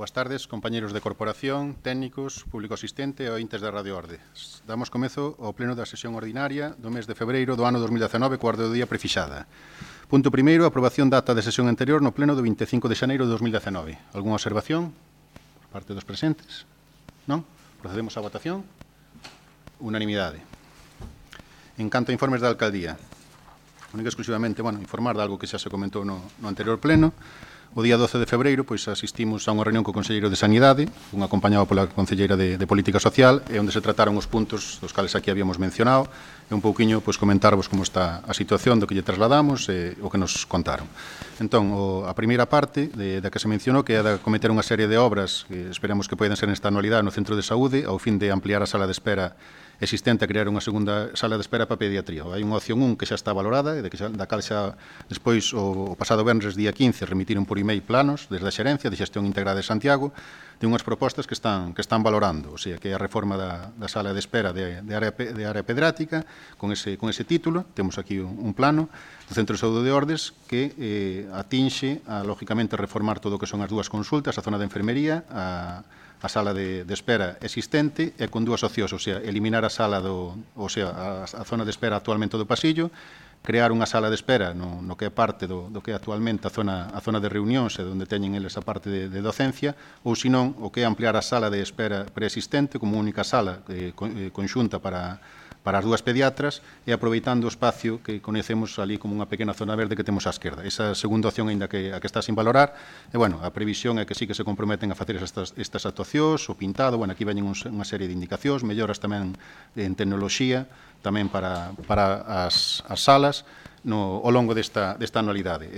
Boas tardes, compañeros de corporación, técnicos, público asistente e ointes da Radio Orde. Damos comezo ao pleno da sesión ordinaria do mes de febreiro do ano 2019, coa orde do día prefixada. Punto primeiro, aprobación da ata de sesión anterior no pleno do 25 de xaneiro de 2019. Algúna observación por parte dos presentes? Non? Procedemos á votación. Unanimidade. En canto a informes da alcaldía, única exclusivamente, informar de algo que xa se comentou no anterior pleno. O día 12 de febreiro asistimos a unha reunión co Conselleiro de Sanidade, un acompañado pola Conselleira de Política Social, e onde se trataron os puntos dos cales aquí habíamos mencionado, e un pouquiño comentarvos como está a situación do que lle trasladamos e o que nos contaron. Entón, a primeira parte da que se mencionou, que é de cometer unha serie de obras que esperamos que poden ser nesta anualidade no Centro de Saúde, ao fin de ampliar a sala de espera existente a crear unha segunda sala de espera para pediatría. Hai unha opción 1 que xa está valorada, da cal xa despois, o pasado venres, día 15, remitiron por email planos desde a Xerencia de Xestión Integrada de Santiago de unhas propostas que están valorando, o sea, que é a reforma da sala de espera de área pediátrica, con ese título. Temos aquí un plano do Centro de Saúde de Ordes que atinxe a, lógicamente, reformar todo o que son as dúas consultas, a zona de enfermería, a sala de espera existente e con dúas opcións, o sea, eliminar a sala a zona de espera actualmente do pasillo, crear unha sala de espera no que é parte do que é actualmente a zona de reunións e onde teñen eles a parte de docencia, ou senón o que é ampliar a sala de espera preexistente como única sala conxunta para as dúas pediatras e aproveitando o espacio que conhecemos ali como unha pequena zona verde que temos á esquerda. Esa segunda opción, aínda que a que está sin valorar, e, a previsión é que sí que se comprometen a facer estas actuacións, o pintado, aquí veñen unha serie de indicacións, melloras tamén en tecnoloxía, tamén para as salas, ao longo desta anualidade.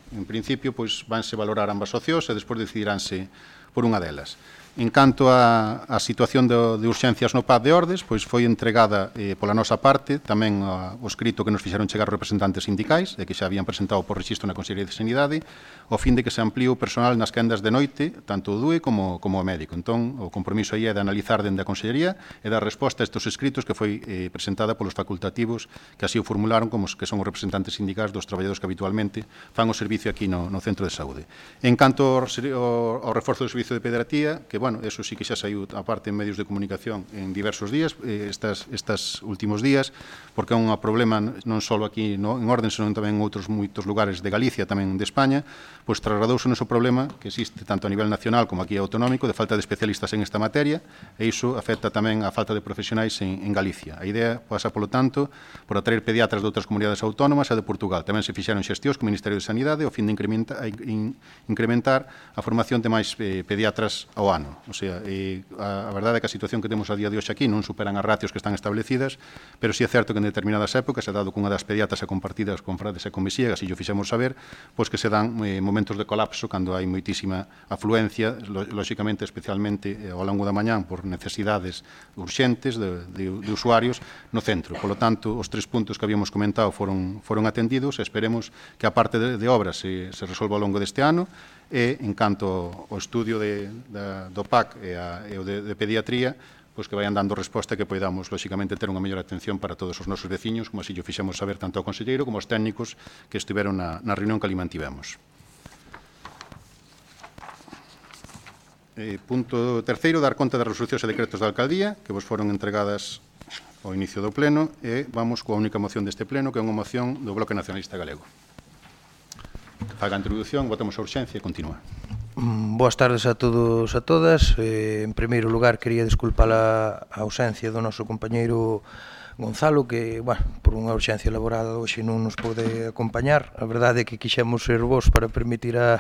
En principio, vanse valorar ambas opcións e despois decidiránse por unha delas. En canto á situación de urxencias no PAD de Ordes, foi entregada pola nosa parte tamén o escrito que nos fixeron chegar os representantes sindicais e que xa habían presentado por rexistro na Consellería de Sanidade, ao fin de que se amplíe o personal nas quendas de noite, tanto o DUE como o médico. Entón, o compromiso aí é de analizar dende a Consellería e dar resposta a estes escritos que foi presentada polos facultativos que así o formularon, como que son os representantes sindicais dos traballadores que habitualmente fan o servicio aquí no Centro de Saúde. En canto ao reforzo do servicio de pediatría, que, eso sí que xa saiu a parte en medios de comunicación en diversos días, estes últimos días, porque é un problema non só aquí en Orden, senón tamén en outros moitos lugares de Galicia, tamén de España, trasladouse o problema que existe tanto a nivel nacional como aquí autonómico de falta de especialistas en esta materia, e iso afecta tamén a falta de profesionais en Galicia. A idea pasa, polo tanto, por atraer pediatras de outras comunidades autónomas e de Portugal. Tamén se fixeron xestións co Ministerio de Sanidade ao fin de incrementar a formación de máis pediatras ao ano. O sea, a verdade é que a situación que temos a día de hoxe aquí non superan as ratios que están establecidas, pero sí é certo que en determinadas épocas, dado que unha das pediatras é compartidas con Frades e con Mesíagas, e o fixemos saber, que se dan momentos de colapso cando hai moitísima afluencia, lóxicamente, especialmente ao longo da mañán, por necesidades urxentes de usuarios no centro. Por lo tanto, os 3 puntos que habíamos comentado foron atendidos e esperemos que a parte de obras se resolva ao longo deste ano e, en canto ao estudio do PAC e o de pediatría, que vayan dando resposta e que podamos, lóxicamente, ter unha mellor atención para todos os nosos veciños, como así o fixemos saber tanto ao conselleiro como aos técnicos que estiveron na reunión que ali mantivemos. Punto terceiro, dar conta das resolucións e decretos da alcaldía que vos foron entregadas ao inicio do pleno, e vamos coa única moción deste pleno, que é unha moción do Bloque Nacionalista Galego. Faga a introducción, votamos a urxencia e continúa. Boas tardes a todos e a todas. En primeiro lugar, quería desculpar a ausencia do noso compañeiro Gonzalo, que, por unha urxencia laboral hoxe non nos pode acompañar. A verdade é que quixemos ser vos para permitir a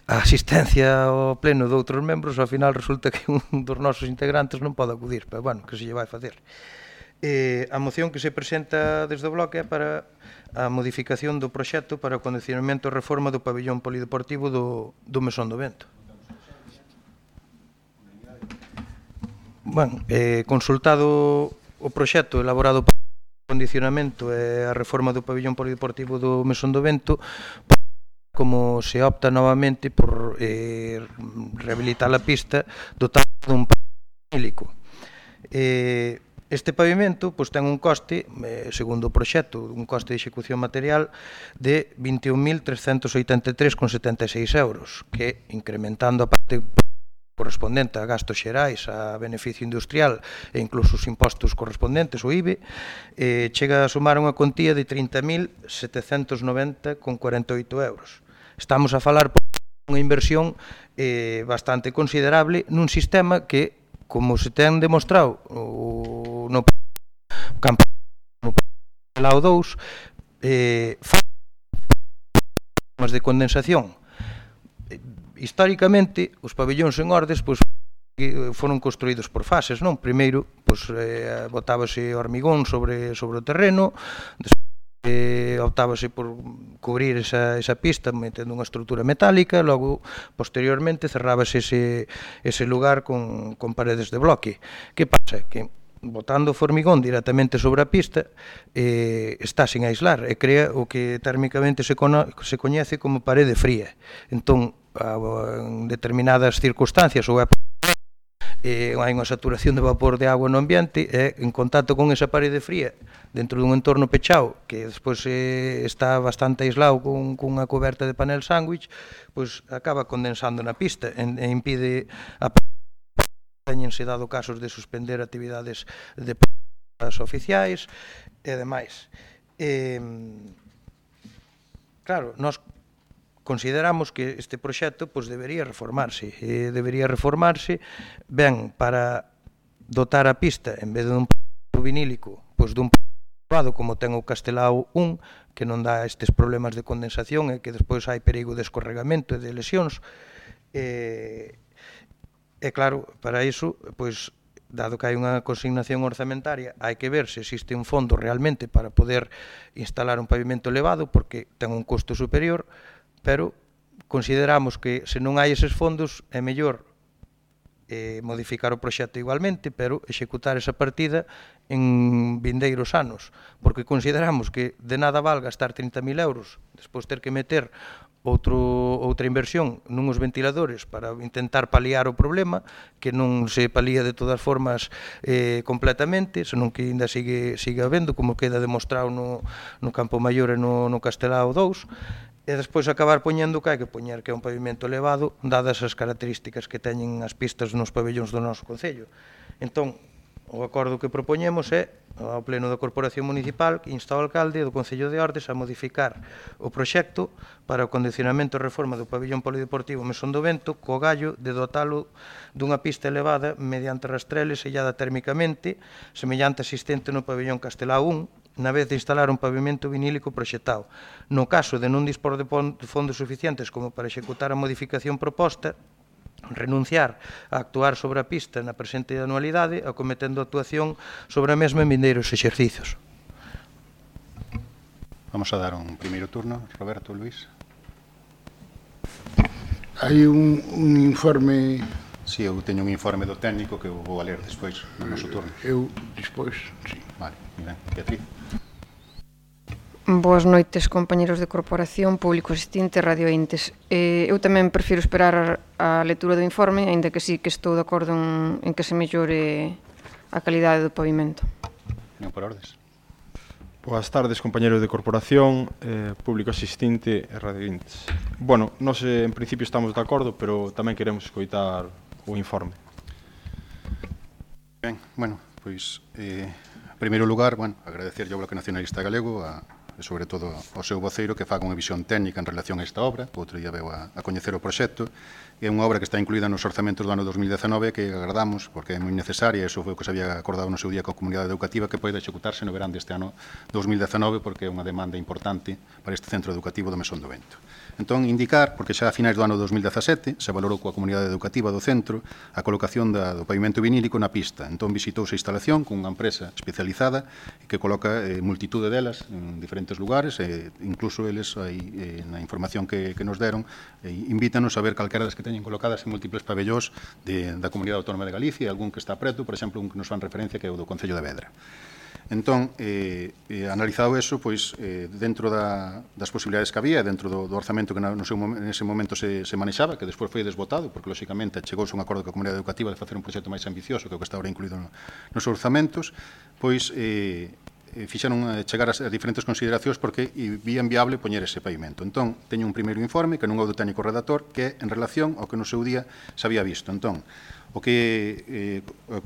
asistencia ao pleno de outros membros, ao final resulta que un dos nosos integrantes non pode acudir, pero, que se lle vai facer. A moción que se presenta desde o bloque é para a modificación do proxecto para o acondicionamento e reforma do pabillón polideportivo do Mesón do Vento. Consultado o proxecto elaborado para o acondicionamento e a reforma do pabillón polideportivo do Mesón do Vento, como se opta novamente por rehabilitar a pista dotado dun parque hílico. Este pavimento pois, ten un coste, segundo o proxecto, un coste de execución material de 21.383,76 euros, que incrementando a parte correspondente a gastos xerais, a beneficio industrial e incluso os impostos correspondentes, o IBE, chega a sumar unha cuantía de 30.790,48 euros. Estamos a falar por unha inversión bastante considerable nun sistema que, como se ten demostrado no campo Lao 2, formas de condensación. Históricamente, os pabellóns en Ordes foron construídos por fases, non? Primeiro, botábase hormigón sobre o terreno, optábase por cubrir esa pista metendo unha estrutura metálica, logo, posteriormente, cerrábase ese lugar con paredes de bloque. Que pasa? Que botando o formigón directamente sobre a pista está sin aislar e crea o que térmicamente se coñece como parede fría. Entón, en determinadas circunstancias ou hai unha saturación de vapor de agua no ambiente e en contacto con esa parede fría dentro dun entorno pechado que despois está bastante aislado con unha coberta de panel sándwich, pois acaba condensando na pista e impide a teñense dado casos de suspender actividades de pruebas oficiais e demais. Claro, nós consideramos que este proxecto debería reformarse. Debería reformarse ben para dotar a pista, en vez dun vinílico, dun privado como ten o Castelao 1, que non dá estes problemas de condensación e que despois hai perigo de escorregamento e de lesións. E claro, para iso, dado que hai unha consignación orzamentaria, hai que ver se existe un fondo realmente para poder instalar un pavimento elevado, porque ten un custo superior, pero consideramos que se non hai eses fondos é mellor modificar o proxecto igualmente, pero executar esa partida en vindeiros anos, porque consideramos que de nada val gastar 30.000 euros, despois ter que meter outra inversión nuns ventiladores para intentar paliar o problema, que non se palía de todas formas completamente, senón que ainda sigue habendo, como queda demostrado no Campo Maior e no Castelao 2, e despois acabar poñendo que hai que poñer que é un pavimento elevado, dadas as características que teñen as pistas nos pabellóns do noso concello. Entón, o acordo que propoñemos é ao Pleno da Corporación Municipal que insta ao alcalde do Concello de Ordes a modificar o proxecto para o condicionamento e reforma do pabellón polideportivo Mesón do Vento co gallo de dotalo dunha pista elevada mediante rastreles sellada térmicamente semellante existente no pabellón Castelao 1 na vez de instalar un pavimento vinílico proxectado. No caso de non dispor de fondos suficientes como para executar a modificación proposta, renunciar a actuar sobre a pista na presente anualidade, acometendo actuación sobre a mesma en vindeiros exercicios. Vamos a dar un primeiro turno. Roberto, Luís. Hai un informe... Si, eu teño un informe do técnico que eu vou a ler despois no noso turno. Eu despois, si. Vale, ben. Beatriz. Boas noites, compañeros de corporación, público asistente, radiointes. Eu tamén prefiro esperar a lectura do informe, aínda que sí que estou de acordo en que se mellore a calidade do pavimento. Non por ordes. Boas tardes, compañeros de corporación, público asistente e radiointes. Bueno, nós en principio estamos de acordo, pero tamén queremos escoitar o informe. Ben, bueno, pois, en primeiro lugar, agradecer ao Bloque Nacionalista Galego e sobre todo ao seu voceiro que faga unha visión técnica en relación a esta obra. Outro día veu a coñecer o proxecto. É unha obra que está incluída nos orzamentos do ano 2019 que agardamos, porque é moi necesaria, e iso foi o que se había acordado no seu día coa comunidade educativa, que poida executarse no verán deste ano 2019, porque é unha demanda importante para este centro educativo do Mesón do Vento. Entón, indicar, porque xa a finais do ano 2017 se valorou coa comunidade educativa do centro a colocación do pavimento vinílico na pista. Entón, visitouse a instalación con unha empresa especializada que coloca multitude delas en diferentes lugares, incluso eles, na información que nos deron, invítanos a ver calquera das que teñen colocadas en múltiples pabellós da Comunidade Autónoma de Galicia, algún que está preto, por exemplo, un que nos fan referencia que é o do Concello de Vedra. Entón, analizado eso, pois, dentro das posibilidades que había, dentro do orzamento que nese momento se manexaba, que despois foi desbotado, porque, lóxicamente, chegouse un acordo coa comunidade educativa de facer un proxecto máis ambicioso que o que está ahora incluído nos orzamentos, pois, fixeron chegar as diferentes consideracións porque vían viable poñer ese pavimento. Entón, teño un primeiro informe, que non é o do técnico redactor, que é en relación ao que no seu día se había visto. Entón, o que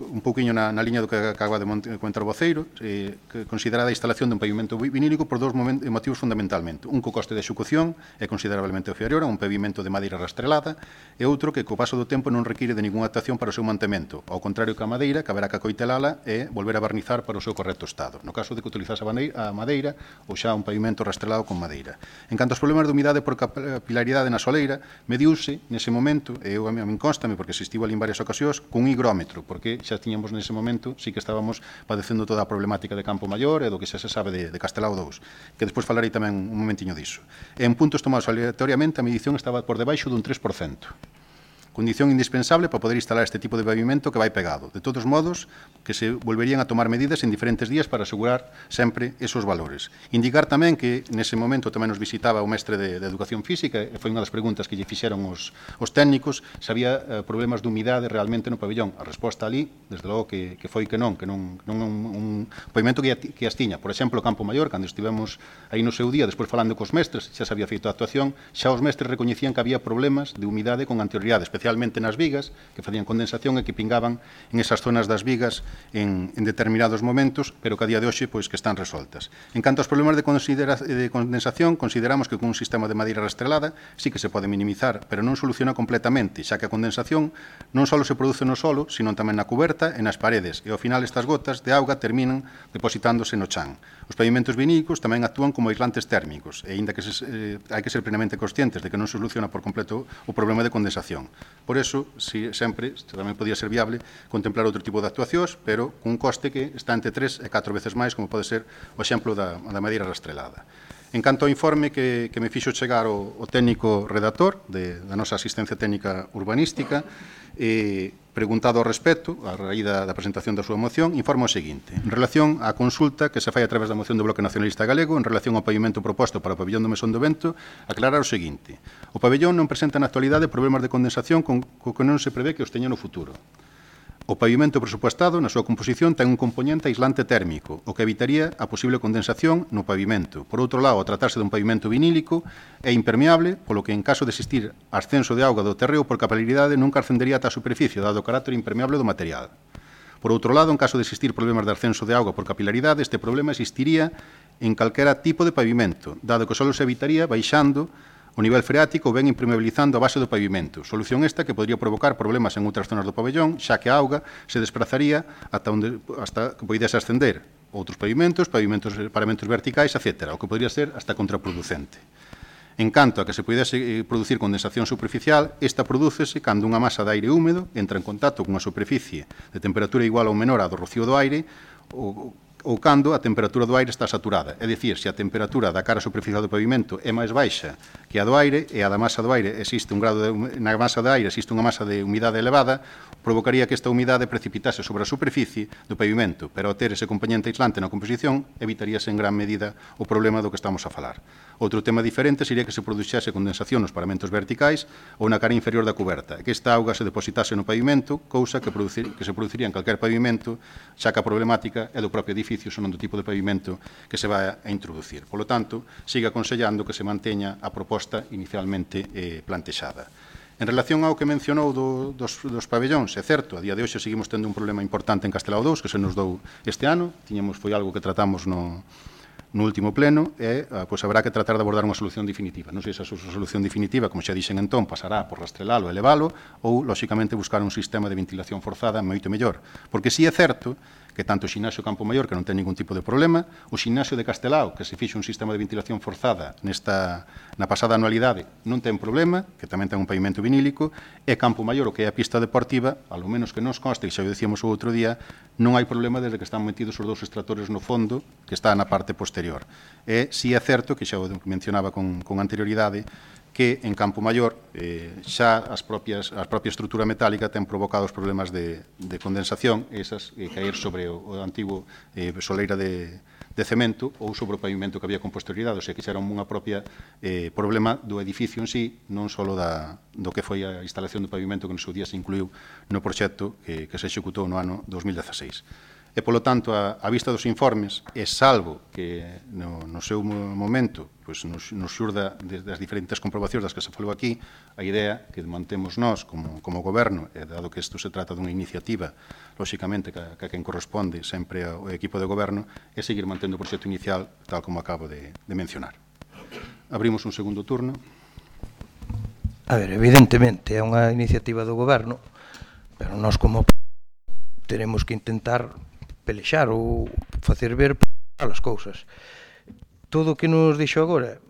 un pouquiño na liña do que acaba de comentar o voceiro, que considerada a instalación dun pavimento vinílico por dous motivos fundamentalmente. Un, co coste de execución é considerablemente inferior a un pavimento de madeira rastrelada, e outro que co paso do tempo non require de ninguna adaptación para o seu mantemento, ao contrario que a madeira, que haberá que acoitelala e volver a barnizar para o seu correcto estado, no caso de que utilizase a madeira ou xa un pavimento rastrelado con madeira. En canto aos problemas de humidade por capilaridade na soleira, mediuse nese momento, e a min constame porque existivo ali en varias ocasións, cun higrómetro, porque xa tiñamos nese momento, sí que estábamos padecendo toda a problemática de Campo Maior e do que xa se sabe de Castelao 2, que despois falarei tamén un momentiño diso. En puntos tomados aleatoriamente, a medición estaba por debaixo dun 3%. Condición indispensable para poder instalar este tipo de pavimento que vai pegado. De todos modos, que se volverían a tomar medidas en diferentes días para asegurar sempre esos valores. Indicar tamén que nese momento tamén nos visitaba o mestre de Educación Física, e foi unha das preguntas que lle fixeron os técnicos, se había problemas de humidade realmente no pabellón. A resposta ali, desde logo que foi que non un pavimento que as tiña. Por exemplo, Campo Maior, cando estivemos aí no seu día, despois falando cos mestres, xa se había feito a actuación, xa os mestres recoñecían que había problemas de humidade con anterioridade, especialmente nas vigas, que facían condensación e que pingaban en esas zonas das vigas en determinados momentos, pero que a día de hoxe pois que están resoltas. En canto aos problemas de condensación, consideramos que con un sistema de madeira rastrelada sí que se pode minimizar, pero non soluciona completamente, xa que a condensación non só se produce no solo, sino tamén na cuberta e nas paredes, e ao final estas gotas de auga terminan depositándose no chan. Os pavimentos vinílicos tamén actúan como aislantes térmicos, e aínda que hai que ser plenamente conscientes de que non se soluciona por completo o problema de condensación. Por eso, sempre tamén podía ser viable contemplar outro tipo de actuacións, pero cun coste que está entre 3 e 4 veces máis, como pode ser o exemplo da madeira rastrelada. En canto ao informe que me fixo chegar o técnico redactor da nosa asistencia técnica urbanística, preguntado ao respecto, a raíz da presentación da súa moción, informa o seguinte: en relación á consulta que se fai a través da moción do Bloque Nacionalista Galego en relación ao pavimento proposto para o pabellón do Mesón do Vento, aclarar o seguinte: o pabellón non presenta na actualidade problemas de condensación co que non se prevé que os teña no futuro. O pavimento presupuestado, na súa composición, ten un componente aislante térmico, o que evitaría a posible condensación no pavimento. Por outro lado, ao tratarse dun pavimento vinílico, é impermeable, polo que en caso de existir ascenso de auga do terreo por capilaridade nunca ascendería ata a superficie, dado o carácter impermeable do material. Por outro lado, en caso de existir problemas de ascenso de auga por capilaridade, este problema existiría en calquera tipo de pavimento, dado que só se evitaría baixando o nivel freático ou ben impermeabilizando a base do pavimento. Solución esta que podría provocar problemas en outras zonas do pabellón, xa que a auga se desprazaría hasta que poidese ascender outros pavimentos verticais, etc., o que podría ser hasta contraproducente. En canto a que se poidese producir condensación superficial, esta prodúcese cando unha masa de aire húmedo entra en contacto cunha superficie de temperatura igual ou menor á do rocío do aire ou cando a temperatura do aire está saturada. É dicir, se a temperatura da cara superficial do pavimento é máis baixa que a do aire e a da masa do aire existe un grado na masa do aire existe unha masa de humidade elevada, provocaría que esta humidade precipitase sobre a superficie do pavimento, pero ao ter ese componente aislante na composición, evitaríase en gran medida o problema do que estamos a falar. Outro tema diferente sería que se produxese condensación nos paramentos verticais ou na cara inferior da cuberta, e que esta auga se depositase no pavimento, cousa que se produciría en calquer pavimento, xa que a problemática é do propio edificio, son do tipo de pavimento que se vai a introducir. Por lo tanto, sigue aconsellando que se manteña a proposta inicialmente plantexada. En relación ao que mencionou dos pabellóns, é certo, a día de hoxe seguimos tendo un problema importante en Castelao 2, que se nos dou este ano, foi algo que tratamos no último pleno, e pois haberá que tratar de abordar unha solución definitiva. Non sei se a solución definitiva, como xa dixen entón, pasará por rastrelalo e elevalo, ou, lóxicamente, buscar un sistema de ventilación forzada moito mellor. Porque si é certo que tanto o ximnasio Campo Maior, que non ten ningún tipo de problema, o ximnasio de Castelao, que se fixe un sistema de ventilación forzada na pasada anualidade, non ten problema, que tamén ten un pavimento vinílico, e Campo Maior, o que é a pista deportiva, ao menos que nos conste, que xa o dicíamos o outro día, non hai problema desde que están metidos os dous extractores no fondo, que está na parte posterior. E si é certo, que xa o mencionaba con anterioridade, que en Campo Maior xa a propia estrutura metálica ten provocado os problemas de condensación, esas caer sobre o antigo soleira de cemento ou sobre o pavimento que había con posterioridade, ou sea, que xa era unha propia problema do edificio en sí, non só do que foi a instalación do pavimento que no seu día se incluiu no proxecto que se executou no ano 2016. E, polo tanto, a vista dos informes, e salvo que no seu momento nos xurda das diferentes comprobacións das que se falou aquí, a idea que mantemos nós como goberno, e dado que isto se trata dunha iniciativa, lóxicamente, que a quen corresponde sempre ao equipo de goberno, é seguir mantendo o proxecto inicial tal como acabo de mencionar. Abrimos un segundo turno. A ver, evidentemente, é unha iniciativa do goberno, pero nós como teremos que intentar pelexar ou facer ver as cousas. Todo o que nos dixo agora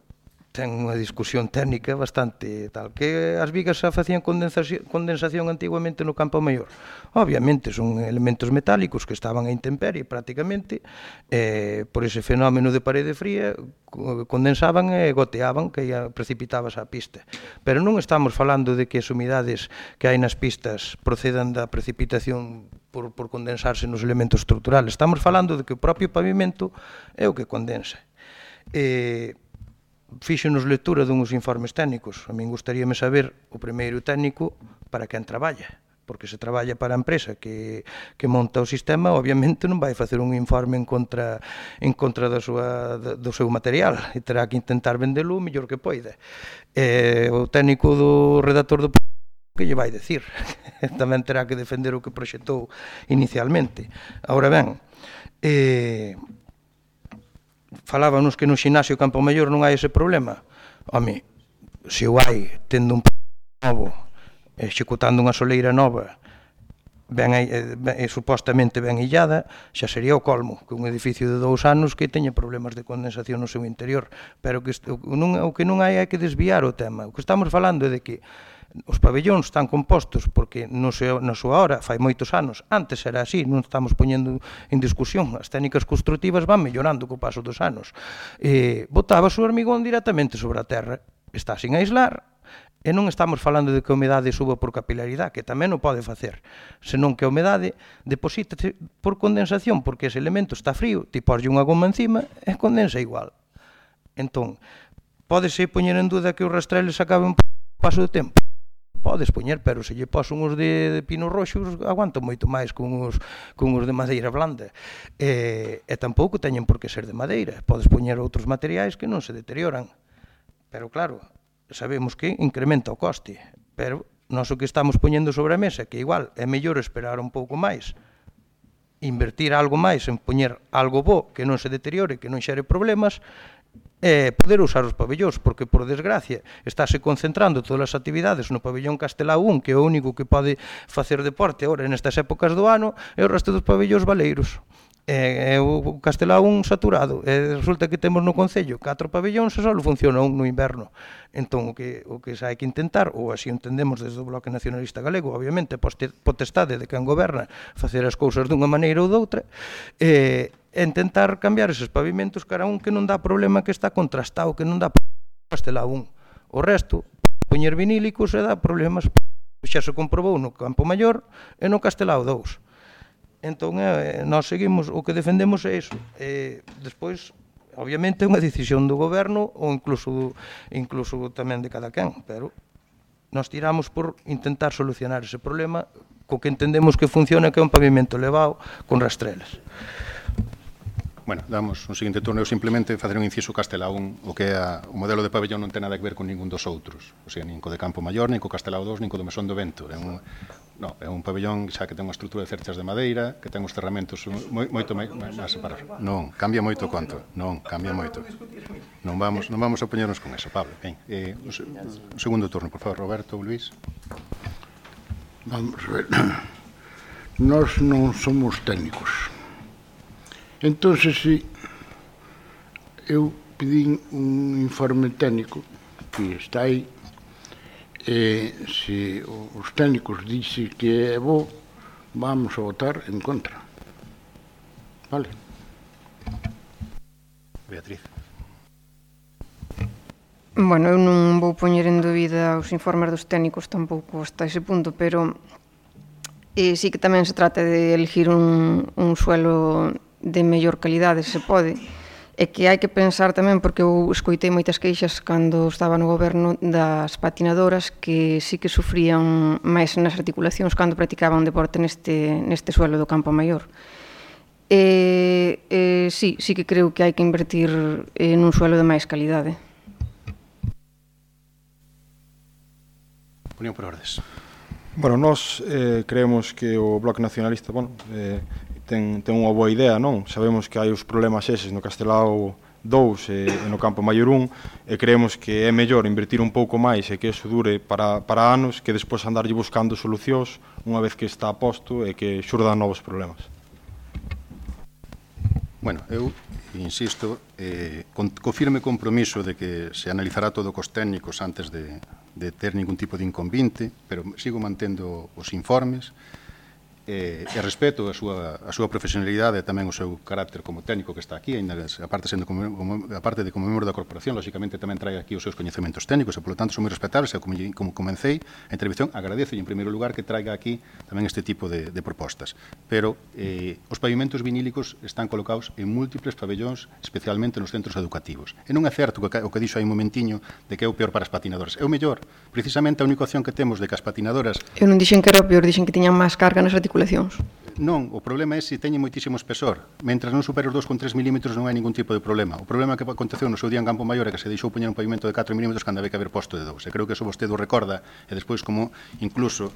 ten unha discusión técnica bastante tal. Que as vigas xa facían condensación antigamente no Campo Maior. Obviamente son elementos metálicos que estaban a intemperie prácticamente, por ese fenómeno de parede fría condensaban e goteaban, que precipitábase a pista. Pero non estamos falando de que as humidades que hai nas pistas procedan da precipitación por condensarse nos elementos estruturales. Estamos falando de que o propio pavimento é o que condensa. Fíxonos lectura dunhos informes técnicos. A min gustaríame saber o primeiro técnico para quen traballa, porque se traballa para a empresa que monta o sistema, obviamente non vai facer un informe en contra do seu material, e terá que intentar vendelo o mellor que poida. O técnico do redactor do que lle vai decir, tamén terá que defender o que proxectou inicialmente. Agora ben, falábanos que no xinasio Campo Maior non hai ese problema. Home, se o hai, tendo un novo, executando unha soleira nova, supostamente ben illada, xa sería o colmo, que un edificio de 2 anos que teña problemas de condensación no seu interior. Pero o que non hai é que desviar o tema. O que estamos falando é de que os pabellóns están compostos porque na súa hora, fai moitos anos, antes era así, non estamos poñendo en discusión, as técnicas constructivas van mellorando co paso dos anos. Botaba o hormigón directamente sobre a terra, está sin aislar, e non estamos falando de que a humedade suba por capilaridade, que tamén o pode facer, senón que a humedade deposítase por condensación, porque ese elemento está frío, ti poslle unha goma encima e condensa igual. Entón, pódese poñer en duda que os rastreles acaben por paso do tempo? Podes poñer, pero se lle pos uns de pino roxos, aguantan moito máis con uns de madeira blanda. E tampouco teñen por que ser de madeira. Podes poñer outros materiais que non se deterioran. Pero claro, sabemos que incrementa o coste. Pero nós o que estamos poñendo sobre a mesa, que igual é mellor esperar un pouco máis, invertir algo máis en poñer algo bo que non se deteriore, que non xere problemas, poder usar os pabellóns, porque por desgracia estáse concentrando todas as actividades no pabellón Castelao 1, que é o único que pode facer deporte agora nestas épocas do ano, e o resto dos pabellóns baleiros. É o Castelao 1 saturado, e resulta que temos no Concello 4 pabellóns e só funciona un no inverno. Entón, o que hai que intentar, ou así entendemos desde o Bloque Nacionalista Galego, obviamente, potestade de quen goberna facer as cousas dunha maneira ou doutra, intentar cambiar eses pavimentos cara un que non dá problema, que está contrastado, que non dá problema Castelao 1. O resto, poñer vinílicos e dá problemas. Xa se comprobou no Campo Maior e no Castelao 2. Entón, nós seguimos, o que defendemos é iso. Despois, obviamente, é unha decisión do goberno ou incluso tamén de cada quen, pero nós tiramos por intentar solucionar ese problema co que entendemos que funciona, que é un pavimento elevado con rastrelas. Bueno, damos un seguinte turno. Eu simplemente facer un inciso Castelao 1, o que é o modelo de pabellón non ten nada que ver con ningún dos outros. O sea, nin co de Campo Maior, nin co Castelao 2, nin co do Mesón do Vento. É un pabellón xa que ten unha estrutura de cerchas de madeira, que ten os cerramentos moito máis separados. Non, cambia moito conto. Non, cambia moito. Non vamos a poñernos con eso, Pablo. Ben, un segundo turno, por favor, Roberto ou Luís. Vamos a ver. Nós non somos técnicos. Entón, si eu pedín un informe técnico que está aí, e se os técnicos dixen que é bo, vamos a votar en contra. Vale? Beatriz. Bueno, eu non vou poñer en dúbida os informes dos técnicos tampouco hasta ese punto, pero sí que tamén se trata de elegir un suelo de mellor calidade, se pode. E que hai que pensar tamén, porque eu escoitei moitas queixas cando estaba no goberno das patinadoras que sí que sufrían máis nas articulacións cando practicaban deporte neste suelo do Campo Maior. Sí que creo que hai que invertir nun suelo de máis calidade. Opinión por ordes. Bueno, nós creemos que o Bloque Nacionalista, ten unha boa idea, non? Sabemos que hai os problemas eses no Castelao 2 e no Campo Maior 1 e creemos que é mellor invertir un pouco máis e que eso dure para anos que despois andarlle buscando solucións unha vez que está a posto e que xurdan novos problemas. Bueno, eu insisto, co firme compromiso de que se analizará todo cos técnicos antes de ter ningún tipo de inconvinte, pero sigo mantendo os informes e respeto a súa profesionalidade e tamén o seu carácter como técnico que está aquí, ainda aparte de como membro da corporación, lógicamente tamén trae aquí os seus coñecementos técnicos e, polo tanto, son moi respetables e como comecei a intervención, agradezo en primeiro lugar que traiga aquí tamén este tipo de propostas. Pero os pavimentos vinílicos están colocados en múltiples pabellóns, especialmente nos centros educativos. E non é certo o que dixo aí un momentiño de que é o peor para as patinadoras. É o mellor. Precisamente a única opción que temos de que as patinadoras... Eu non dixen que era o peor, dixen que tiñan máis carga nas articulacións. Non, o problema é se teñen moitísimo espesor. Mentras non supere os 2,3 milímetros non hai ningún tipo de problema. O problema que aconteceu no seu día en Campo Maior é que se deixou poñer un pavimento de 4 milímetros cando había que haber posto de 2. E creo que eso vostede o recorda e despois como incluso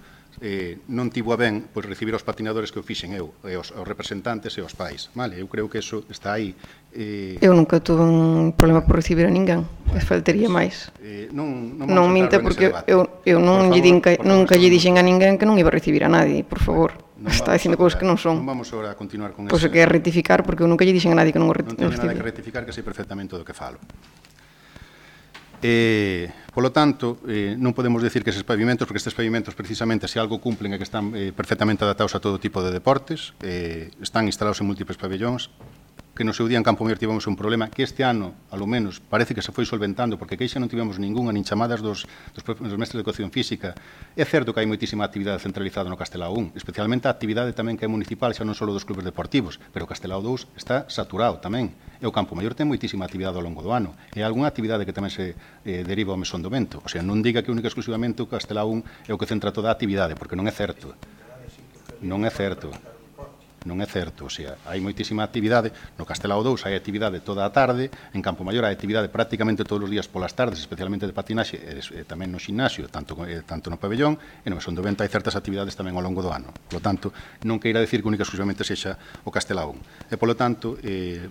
non tivo a ben recibir os patinadores que o fixen eu, e os representantes e os pais. Vale, eu creo que eso está aí. Eu nunca tuve un problema por recibir a ninguén. Faltaría máis. Non minta, porque eu nunca lle dixen a ninguén que non iba a recibir a nadie, por favor. Está dicindo cousas que non son. Non vamos agora a continuar con eso. Pois que é rectificar, porque eu nunca lle dixen a nadie que non o recibir. Non teño nada que rectificar, que sei perfectamente do que falo. Polo tanto, non podemos decir que eses pavimentos, porque estes pavimentos precisamente se algo cumplen é que están perfectamente adaptados a todo tipo de deportes, están instalados en múltiples pabellóns, que no seu día en Campo Maior tivemos un problema que este ano, alo menos, parece que se foi solventando, porque queixa non tivemos ningunha, nin chamadas dos mestres de educación física. É certo que hai moitísima actividade centralizada no Castelao 1, especialmente a actividade tamén que é municipal, xa non só dos clubes deportivos, pero o Castelao 2 está saturado tamén. E o Campo Maior ten moitísima actividade ao longo do ano. E algunha actividade que tamén se deriva ao Mesón do Vento. O sea, non diga que única exclusivamente o Castelao 1 é o que centra toda a actividade, porque non é certo. Non é certo. Non é certo, o sea, hai moitísima actividade, no Castelao 2 hai actividade toda a tarde, en Campo Maior hai actividade prácticamente todos os días polas tardes, especialmente de patinaxe, e tamén no ximnasio, tanto no pabellón, e no Mesón do Vento hai certas actividades tamén ao longo do ano. Por lo tanto, non queira decir que única exclusivamente sexa o Castelao 1. E, polo tanto,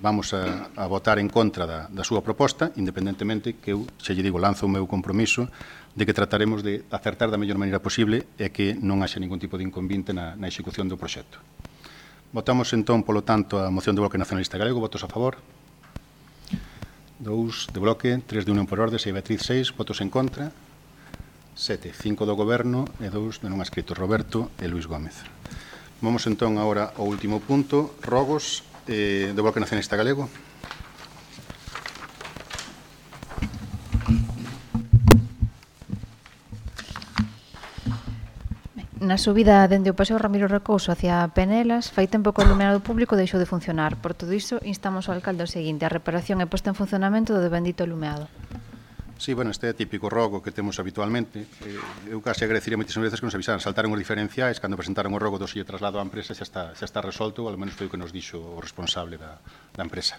vamos a votar en contra da súa proposta, independentemente que eu, xa lle digo, lanzo o meu compromiso de que trataremos de acertar da mellor maneira posible e que non haxa ningún tipo de inconvinte na execución do proxecto. Votamos, entón, polo tanto, a moción do Bloque Nacionalista Galego. Votos a favor. 2 de Bloque, 3 de Unión por Ordes e Beatriz 6. Votos en contra. 7. 5 do Goberno e 2 de non escritos, Roberto e Luís Gómez. Vamos, entón, agora ao último punto. Rogos do Bloque Nacionalista Galego. Na subida dende o Paseo Ramiro Recouso hacia Penelas, fai tempo que o iluminado público deixou de funcionar. Por todo iso, instamos ao alcalde o seguinte: a reparación e posta en funcionamento do bendito iluminado. Sí, bueno, este é típico rogo que temos habitualmente. Eu case agradecería moitísimas veces que nos avisaran, saltaron os diferenciais, cando presentaron o rogo do sille traslado á empresa xa está resolto, ou ao menos foi o que nos dixo o responsable da empresa.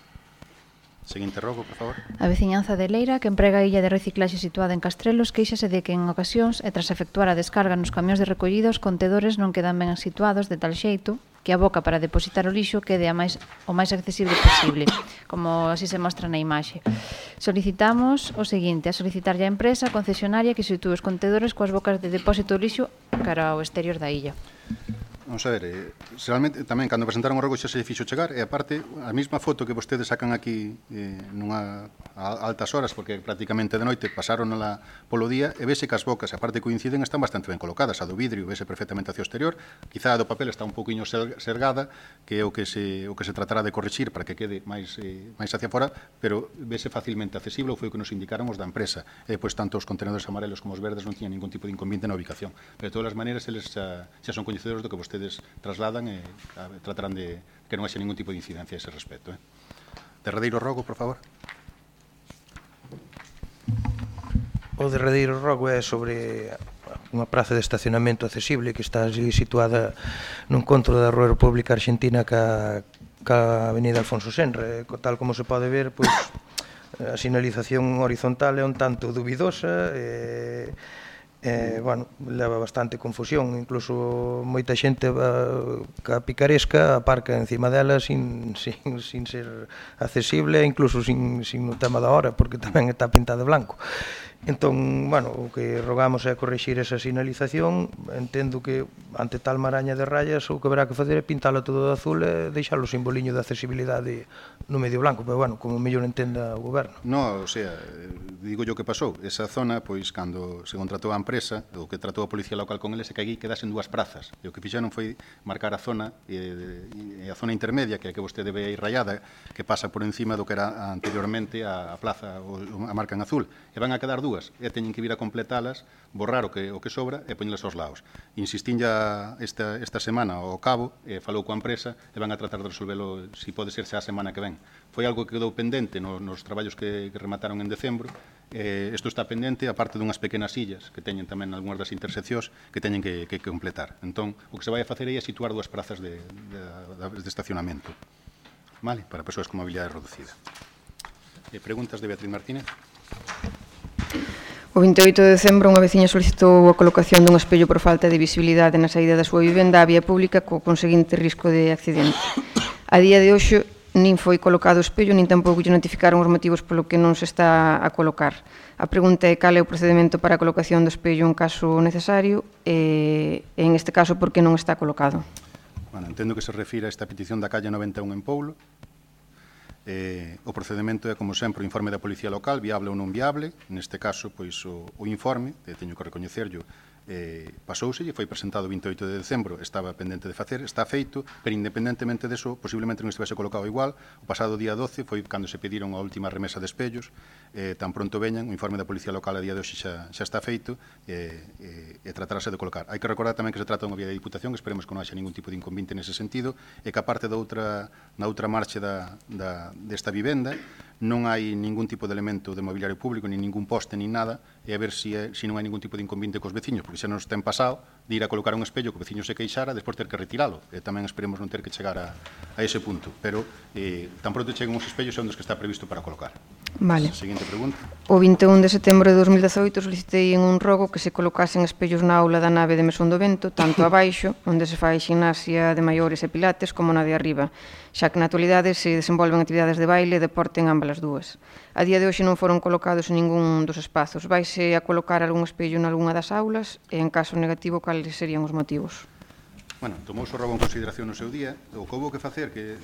Seguinte rogo, por favor. A veciñanza de Leira, que emprega a illa de reciclaxe situada en Castrelos, queixase de que en ocasións, e tras efectuar a descarga nos camións de recollido, os contedores non quedan ben situados de tal xeito que a boca para depositar o lixo quede o máis accesible posible, como así se mostra na imaxe. Solicitamos o seguinte: a solicitarlle á empresa concesionaria que sitúe os contedores coas bocas de depósito do lixo cara ao exterior da illa. Vamos a ver, realmente tamén cando presentaron o rogo xa se fixo chegar e aparte a mesma foto que vostedes sacan aquí nunha a altas horas porque prácticamente de noite pasaronla polo día e vese que as bocas, aparte coinciden, están bastante ben colocadas. A do vidrio vese perfectamente hacia o exterior, quizá a do papel está un pouquiño sergada, que é o que se tratará de corrixir para que quede máis hacia fora, pero vese facilmente accesible, ou foi o que nos indicaron os da empresa. E pois tanto os contenedores amarelos como os verdes non tiñan ningún tipo de inconveniente na ubicación. Pero de todas as maneiras eles xa son coñecedores do que vostedes trasladan e tratarán de que non haxe ningún tipo de incidencia a ese respecto. Derradeiro rogo, por favor. O derradeiro rogo é sobre unha praza de estacionamento accesible que está así situada no encontro da Rúa República Argentina ca Avenida Alfonso Senra. Tal como se pode ver, pois, a sinalización horizontal é un tanto dubidosa bueno, leva bastante confusión, incluso moita xente ca picaresca aparca encima dela sin ser accesible, incluso sin o tema da hora, porque tamén está pintada de blanco. Entón, bueno, o que rogamos é corrixir esa sinalización. Entendo que ante tal maraña de rayas o que verá que facer é pintalo todo de azul e deixar o simboliño de accesibilidade no medio blanco, pero bueno, como mellor entenda o goberno. No, o sea, digo yo que pasou. Esa zona, pois, cando se contratou a empresa, o que tratou a Policía Local con eles é que aquí quedasen dúas prazas. E o que fixeron foi marcar a zona, e a zona intermedia, que é a que vostede ve aí rayada, que pasa por encima do que era anteriormente a plaza, a marca en azul. E van a quedar dúas, e teñen que vir a completalas, borrar o que sobra e poñelas aos lados. Insistín ya esta semana ao cabo, falou coa empresa e van a tratar de resolvelo, se pode ser xa a semana que ven. Foi algo que quedou pendente nos traballos que remataron en decembro. Isto está pendente, aparte dunhas pequenas illas que teñen tamén algunhas das interseccións que teñen que completar. Entón, o que se vai a facer aí é situar dúas prazas de estacionamento, vale? Para persoas con mobilidade reducida. Preguntas de Beatriz Martínez? O 28 de decembro, unha veciña solicitou a colocación dun espello por falta de visibilidade na saída da súa vivenda á vía pública co conseguinte risco de accidente. A día de hoxe, nin foi colocado o espello, nin tampouco lle notificaron os motivos polo que non se está a colocar. A pregunta é cal é o procedimento para a colocación do espello en caso necesario e, en este caso, por que non está colocado. Bueno, entendo que se refira a esta petición da calle 91 en Poulo. O procedimento é, como sempre, o informe da Policía Local, viable ou non viable. Neste caso, pois, o informe, teño que recoñecerlo, pasouse e foi presentado o 28 de decembro, estaba pendente de facer, está feito, pero independentemente deso, posiblemente non estivese colocado igual. O pasado día 12 foi cando se pediron a última remesa de espellos, tan pronto veñan, o informe da Policía Local a día de hoxe xa está feito e tratarase de colocar. Hai que recordar tamén que se trata dunha vía de Diputación, esperemos que non haxa ningún tipo de inconveniente nese sentido, e que aparte na outra marcha desta vivenda non hai ningún tipo de elemento de mobiliario público, nin ningún poste, nin nada, e a ver se non hai ningún tipo de inconveniente cos veciños, porque xa nos ten pasado de ir a colocar un espello que o veciño se queixara, despois ter que retiralo, e tamén esperemos non ter que chegar a ese punto, pero tan pronto cheguen os espellos son dos que está previsto para colocar. Vale. Seguinte pregunta. O 21 de setembro de 2018 solicitei en un rogo que se colocasen espellos na aula da nave de Mesón do Vento, tanto abaixo, onde se fai gimnasia de maiores e pilates, como na de arriba, xa que na actualidade se desenvolven actividades de baile e deporte en ambas as dúas. A día de hoxe non foron colocados en ningún dos espazos. Vaise a colocar algún espello en algunha das aulas e, en caso negativo, cales serían os motivos? Bueno, tomou o rogo en consideración no seu día. O que houve que facer, que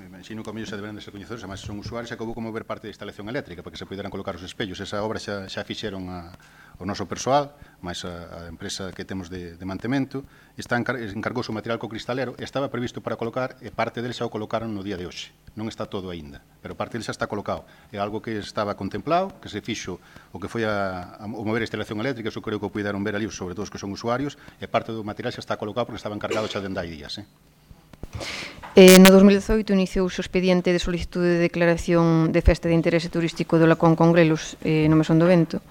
imagino que a mellor xa deberán de ser coñecedores, además son usuarios, xa que houve que mover parte da instalación eléctrica para que se poderan colocar os espellos. Esa obra xa fixeron o noso persoal, máis a empresa que temos de mantemento, encargouse o material co cristalero e estaba previsto para colocar, e parte dele xa o colocaron no día de hoxe. Non está todo aínda, pero parte dele xa está colocado. É algo que estaba contemplado, que se fixo o que foi o mover a instalación eléctrica, eso creo que o puideron ver ali, sobre todo os que son usuarios, e parte do material xa está colocado porque estaba encargado xa dende hai días. No 2018 iniciouse o expediente de solicitude de declaración de festa de interese turístico do Lacón con Grelos no Mesón do Vento.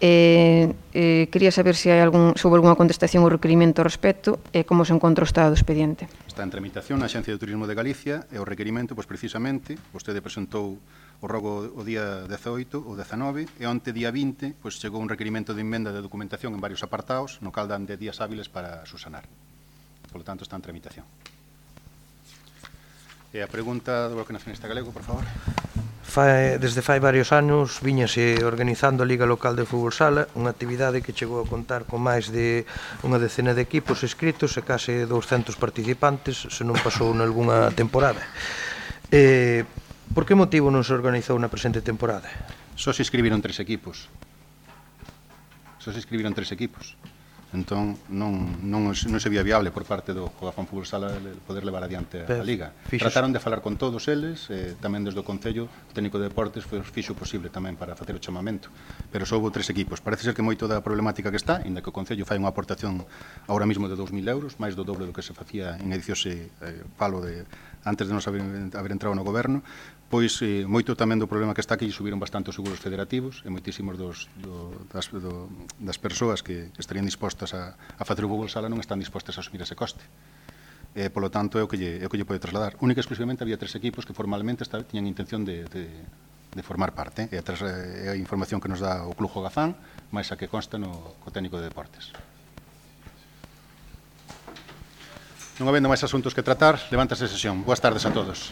Quería saber se houve algunha contestación ou requerimento ao respecto e como se encontra o estado do expediente. Está en tramitación na Axencia de Turismo de Galicia e o requerimento, pois precisamente, vostede presentou o rogo o día 18 ou 19 e onte día 20 pois chegou un requerimento de emenda de documentación en varios apartados, no cal dan 10 días hábiles para subsanar. Por lo tanto, está en tramitación. E a pregunta do Bloque Nacionalista Galego, por favor. Desde fai varios anos viñase organizando a Liga Local de Fútbol Sala, unha actividade que chegou a contar con máis de unha decena de equipos inscritos e case 200 participantes, se non pasou nalgúna temporada. Por que motivo non se organizou na presente temporada? Só se inscribiron 3 equipos. Entón non se vía viable por parte do Fogafón Fútbol Sala poder levar adiante a Liga. Trataron de falar con todos eles, tamén desde o Concello, o técnico de deportes fixo posible tamén para facer o chamamento, pero só houve 3 equipos. Parece ser que moito da problemática que está, inda que o Concello fai unha aportación agora mesmo de 2.000 euros, máis do doble do que se facía en edicións palo antes de nos haber entrado no goberno, pois moito tamén do problema que está aquí subiron bastante os seguros federativos e moitísimos das persoas que estarían dispostas a facer o fútbol sala non están dispostas a asumir ese coste. Polo tanto, é o que lle pode trasladar. Única e exclusivamente había 3 equipos que formalmente tiñan intención de formar parte. É a información que nos dá o Club Jogazán, máis a que consta no técnico de deportes. Non habendo máis asuntos que tratar, levántase a sesión. Boas tardes a todos.